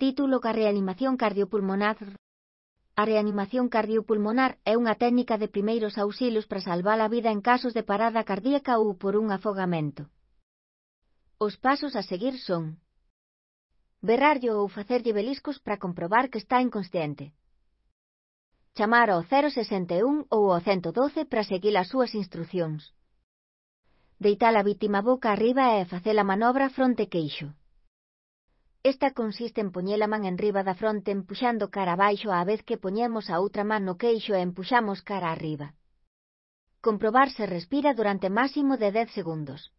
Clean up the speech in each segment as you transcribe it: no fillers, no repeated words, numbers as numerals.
Título: a reanimación cardiopulmonar. A reanimación cardiopulmonar é unha técnica de primeiros auxilios para salvar a vida en casos de parada cardíaca ou por un afogamento. Os pasos a seguir son: berrarllo ou facerlle beliscos para comprobar que está inconsciente. Chamar ao 061 ou ao 112 para seguir as súas instruccións. Deitar a vítima boca arriba e facer a manobra fronte-queixo. Esta consiste en poñer a man enriba da fronte empuxando cara abaixo á vez que poñemos a outra man no queixo e empuxamos cara arriba. Comprobar se respira durante máximo de 10 segundos.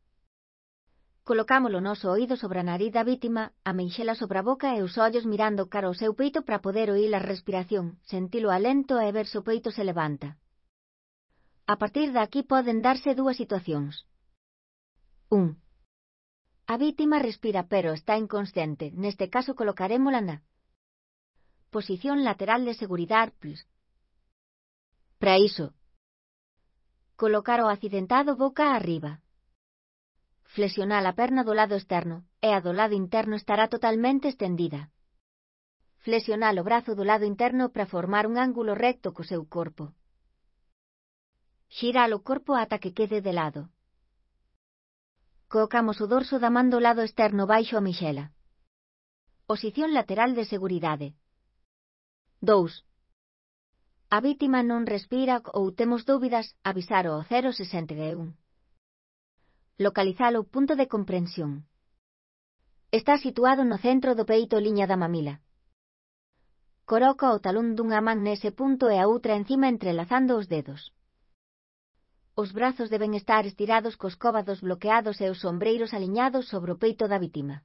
Colocamos o noso oído sobre a nariz da vítima, a meixela sobre a boca e os ollos mirando cara ao seu peito para poder oír a respiración, sentilo alento e ver se o peito se levanta. A partir de aquí poden darse dúas situacións. 1. A vítima respira pero está inconsciente, neste caso colocarémola na posición lateral de seguridade. Para iso, colocar o accidentado boca arriba. Flexionar a perna do lado externo, e a do lado interno estará totalmente estendida. Flexionar o brazo do lado interno para formar un ángulo recto co seu corpo. Xirar o corpo ata que quede de lado. Colocamos o dorso da man do lado externo baixo a mexela. Posición lateral de seguridade. 2. A vítima non respira ou temos dúbidas, avisar ao 061. Localizar o punto de comprensión. Está situado no centro do peito liña da mamila. Coloca o talón dunha man nese punto e a outra encima entrelazando os dedos. Os brazos deben estar estirados cos cóbados bloqueados e os ombreiros aliñados sobre o peito da vítima.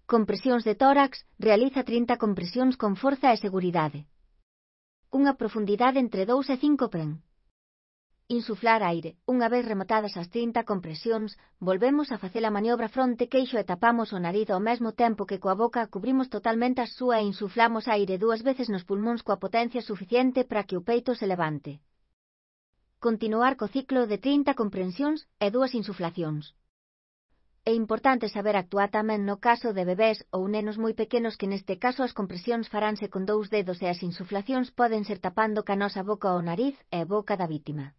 Compresións de tórax, realiza 30 compresións con forza e seguridade. Unha profundidade entre 2 e 5 pren. Insuflar aire. Unha vez rematadas as 30 compresións, volvemos a facer a maniobra fronte-queixo e tapamos o nariz ao mesmo tempo que coa boca cubrimos totalmente a súa e insuflamos aire 2 veces nos pulmóns coa potencia suficiente para que o peito se levante. Continuar co ciclo de 30 comprensións e 2 insuflacións. É importante saber actuar tamén no caso de bebés ou nenos moi pequenos que neste caso as compresións faránse con 2 dedos e as insuflacións poden ser tapando ca nosa boca o nariz e boca da vítima.